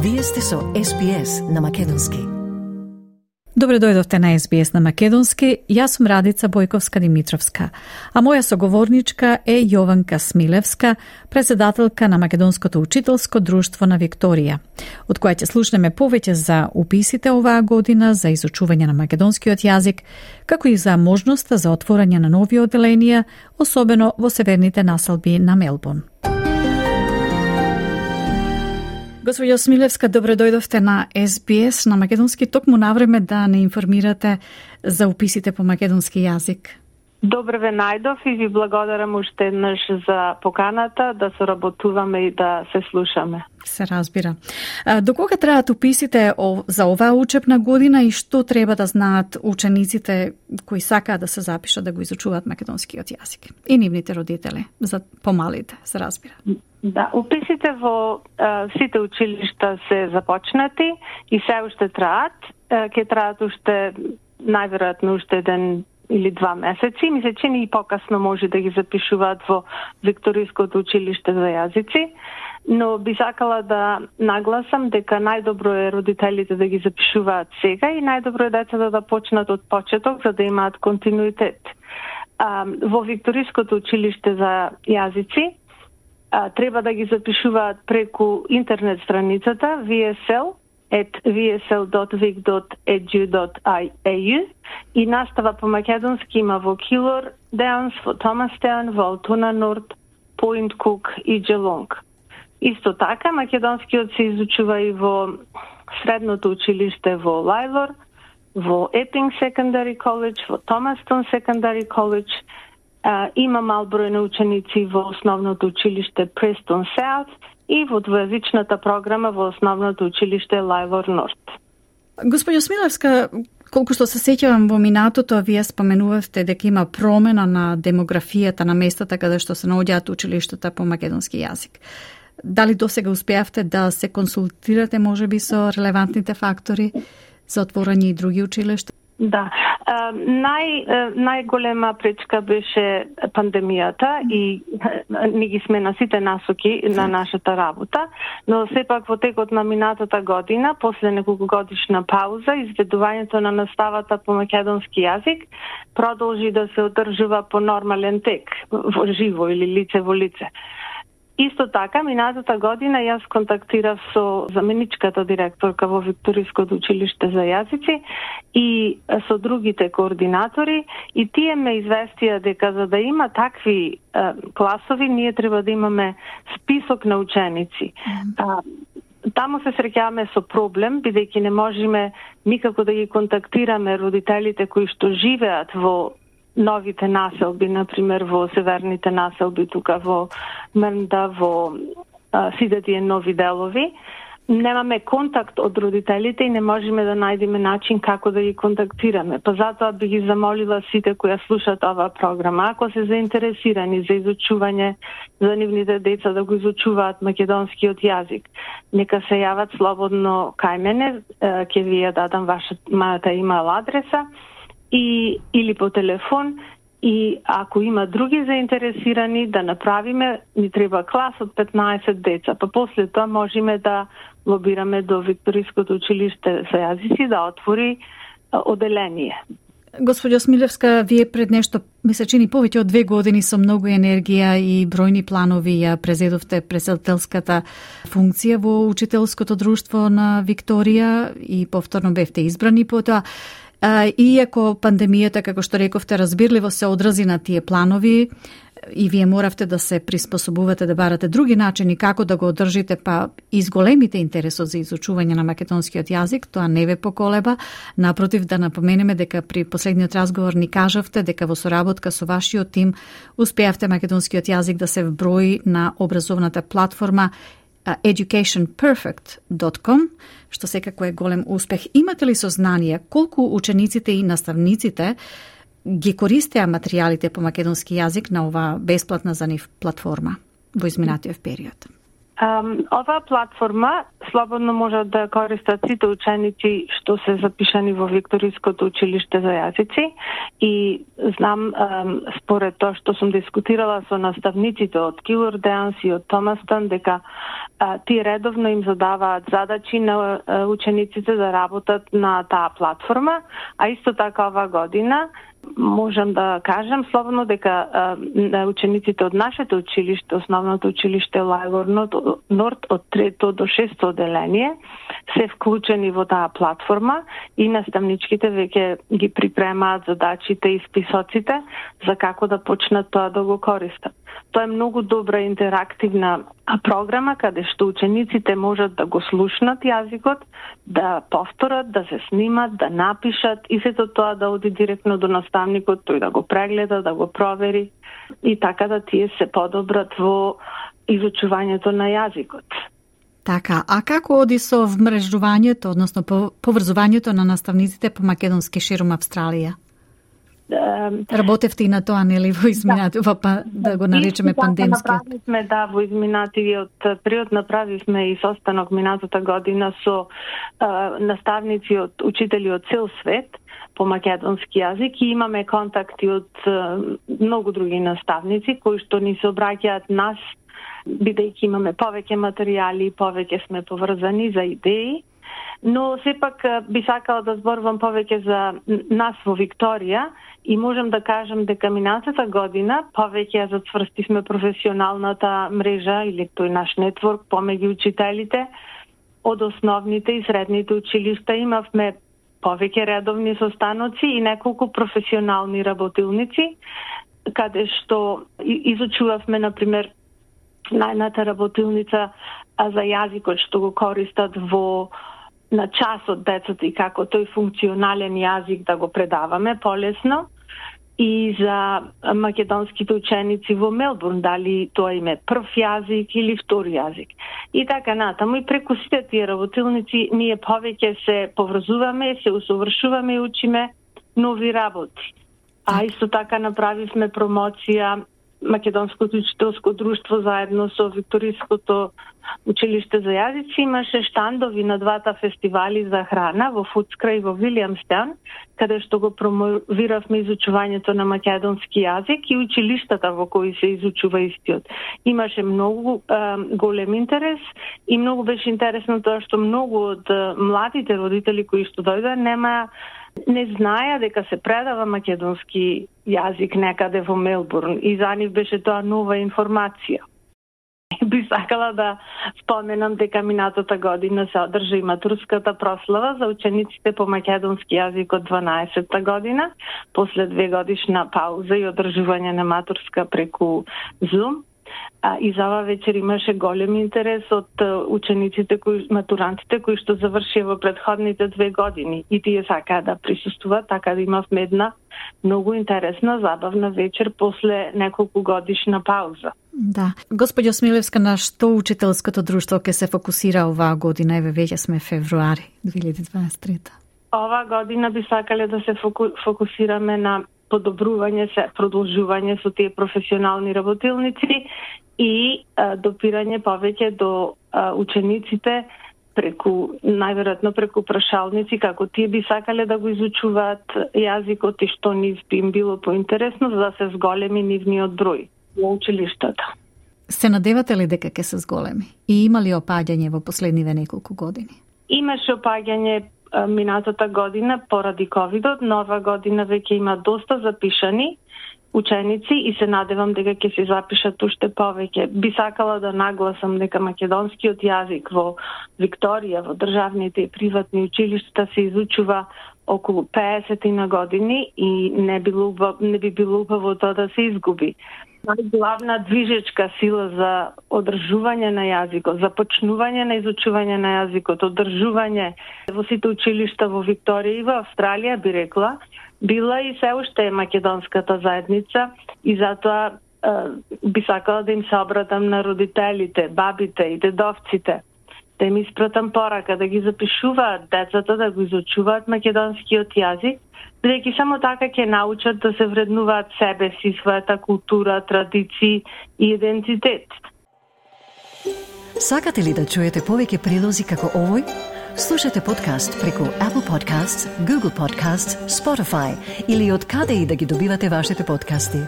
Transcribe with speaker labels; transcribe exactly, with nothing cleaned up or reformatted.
Speaker 1: Вие сте со Ес Би Ес на македонски.
Speaker 2: Добре дојдовте на Ес Би Ес на македонски. Јас сум Радица Бојковска-Димитровска, а моја соговорничка е Јованка Смилевска, председателка на Македонското учителско друштво на Викторија, од која ќе слушнеме повеќе за уписите оваа година, за изучување на македонскиот јазик, како и за можноста за отворање на нови оделенија, особено во северните населби на Мелбурн. Господја Смилевска, добре дојдовте на Ес Би Ес на македонски, токму навреме да не информирате за уписите по македонски јазик.
Speaker 3: Добре ве најдов и ви благодарам уште еднаш за поканата да соработуваме и да се слушаме.
Speaker 2: Се разбира. До кога траат уписите за оваа учебна година и што треба да знаат учениците кои сакаат да се запишат да го изучуваат македонскиот јазик? И нивните родители, за помалите, се разбира.
Speaker 3: Да, уписите во а, сите училишта се започнати и се уште траат. Ќе траат уште, најверојатно уште еден или два месеци. Ми се чини и покасно може да ги запишуваат во Викториското училиште за јазици, но би сакала да нагласам дека најдобро е родителите да ги запишуваат сега и најдобро е децата да почнат од почеток за да имаат континуитет. А, во Викториското училиште за јазици а, треба да ги запишуваат преку интернет страницата ви ес ел at ви ес ел dot vic dot e d u dot a u и настава по македонски има во Килор Даунс, во Томастаун, во Алтуна Норд, Пойнт Кук и Джелонг. Исто така, македонскиот се изучува и во средното училиште во Лајлор, во Епинг Secondary College, во Томастон Secondary College. А, има мал број на ученици во основното училиште Престон Саут и во двојазичната програма во основното училиште Лајлор Норд.
Speaker 2: Господја Смилевска, колку што се сеќавам во минатото, вие споменувавте дека има промена на демографијата на местата каде што се наоѓаат училиштата по македонски јазик. Дали досега успеавте да се консултирате можеби со релевантните фактори за отворање и други училишта?
Speaker 3: Да. Нај, најголема пречка беше пандемијата и ни ги смена сите насоки на нашата работа, но сепак во текот на минатата година, после неколку годишна пауза, изведувањето на наставата по македонски јазик продолжи да се одржува по нормален тек, во живо или лице во лице. Исто така, минатата година јас контактирав со заменичката директорка во Викториското училиште за јазици и со другите координатори и тие ме известија дека за да има такви е, класови, ние треба да имаме список на ученици. А, таму се среќаваме со проблем, бидејќи не можеме никако да ги контактираме родителите кои што живеат во новите населби, например во северните населби, тука во Мрнда, во а, сите тие нови делови. Немаме контакт од родителите и не можеме да најдеме начин како да ги контактираме. Па затоа би ги замолила сите кои слушаат оваа програма, ако се заинтересирани за изучување за нивните деца да го изучуваат македонскиот јазик, нека се јават слободно кај мене, ќе ви ја дадам вашата имейл адреса и или по телефон, и ако има други заинтересирани да направиме, ни треба клас од петнаесет деца, па после тоа можеме да лобираме до Викториското училиште за јазици да отвори оделение.
Speaker 2: Господја Смилевска, вие пред нешто, ми се чини повеќе од две години со многу енергија и бројни планови ја презедовте председателската функција во учителското друштво на Викторија и повторно бевте избрани по тоа. Иако пандемијата, како што рековте, разбирливо се одрази на тие планови и вие моравте да се приспособувате, да барате други начини како да го одржите, па изголемите интересот за изучување на македонскиот јазик, тоа не ве поколеба. Напротив, да напоменеме дека при последниот разговор ни кажавте дека во соработка со вашиот тим успеавте македонскиот јазик да се вброи на образовната платформа education perfect dot com, што секако е голем успех. Имате ли сознание колку учениците и наставниците ги користеа материјалите по македонски јазик на оваа бесплатна за нив платформа во изминатиот период?
Speaker 3: Um, оваа платформа слободно можат да користат сите ученици што се запишани во Викториското училиште за јазици и знам според тоа што сум дискутирала со наставниците од Килор Деанс и од Томастон дека тие редовно им задаваат задачи на учениците да работат на таа платформа, а исто така ова година можам да кажам слободно дека а, учениците од нашето училиште, основното училиште Лајгор Норд од трето до шесто одделение се вклучени во таа платформа и наставничките веќе ги припремаат задачите и списоците за како да почнат тоа да го користат. Тоа е многу добра интерактивна програма каде што учениците можат да го слушнат јазикот, да повторат, да се снимат, да напишат и сето тоа да оди директно до наставникот, тој да го прегледа, да го провери и така да тие се подобрат во изучувањето на јазикот.
Speaker 2: Така, а како оди со вмрежувањето, односно поврзувањето на наставниците по македонски ширум Австралија? Работевте и на тоа, нели, во изминатиот, да, да го наречеме пандемскиот?
Speaker 3: Направивме, да, во изминатиот период направивме и состанок минатата година со а, наставници од учители од цел свет по македонски јазик и имаме контакти од а, многу други наставници кои што ни се обраќаат нас, бидејќи имаме повеќе материјали, повеќе сме поврзани за идеи. Но сепак би сакала да зборувам повеќе за нас во Викторија и можам да кажам дека минатата година повеќе ја зацврстивме професионалната мрежа или тој наш нетворк помеѓу учителите од основните и средните училишта. Имавме повеќе редовни состаноци и неколку професионални работилници каде што изучувавме, например, најната работилница за јазикот што го користат во на час од децата и како тој функционален јазик да го предаваме полесно и за македонските ученици во Мелбурн, дали тоа им е прв јазик или втор јазик. И така натаму и преку сите тие работилници ние повеќе се поврзуваме, се усовршуваме и учиме нови работи. А исто така направивме промоција Македонското учителско друштво заедно со Викториското училиште за јазици имаше штандови на двата фестивали за храна во Фудскра и во Вилијамстаун, каде што го промовиравме изучувањето на македонски јазик и училиштата во кои се изучува истиот. Имаше многу е, голем интерес и многу беше интересно тоа што многу од младите родители кои што дојдоа нема не знаеа дека се предава македонски јазик некаде во Мелбурн и за нив беше тоа нова информација. Би сакала да споменам дека минатата година се одржа и матурската прослава за учениците по македонски јазик од дванаесетта година, после две годишна пауза и одржување на матурска преку Zoom. А, и за ова вечер имаше голем интерес од учениците, кои, матурантите кои што завршија во предходните две години и тие сакаа да присуствуваат, така да имавме една многу интересна, забавна вечер после неколку годишна пауза.
Speaker 2: Да. Господјо Смилевска, на што учителското друштво ќе се фокусира оваа година? Еве веќе сме февруари две илјади дваесет и трета.
Speaker 3: Оваа година би сакале да се фоку, фокусираме на подобрување, се продолжување со тие професионални работилници и а, допирање повеќе до а, учениците преку, најверојатно преку прашалници, како тие би сакале да го изучуваат јазикот и што нив би им било поинтересно, за да се зголеми нивниот број во училиштата.
Speaker 2: Се надевате ли дека ќе се зголеми? И има ли опаѓање во последниве неколку години?
Speaker 3: Имаше опаѓање минатата година поради ковидот, нова година веќе има доста запишани ученици и се надевам дека ќе се запишат уште повеќе. Би сакала да нагласам дека македонскиот јазик во Викторија, во државните и приватни училишта се изучува околу педесет на години и не, било, не би било убаво тоа да се изгуби. Главна движечка сила за одржување на јазикот, за почнување на изучување на јазикот, одржување во сите училишта во Викторија и во Австралија, би рекла, била и се уште е македонската заедница и затоа е, би сакала да им се обратам на родителите, бабите и дедовците, да им испратам порака, да ги запишуваат децата, да го изучуваат македонскиот јазик, бидејќи само така ќе научат да се вреднуваат себе си, својата култура, традиции и идентитет.
Speaker 1: Сакате ли да чуете повеќе прилози како овој? Слушате подкаст преку Apple Podcasts, Google Podcasts, Spotify или од каде и да ги добивате вашите подкасти.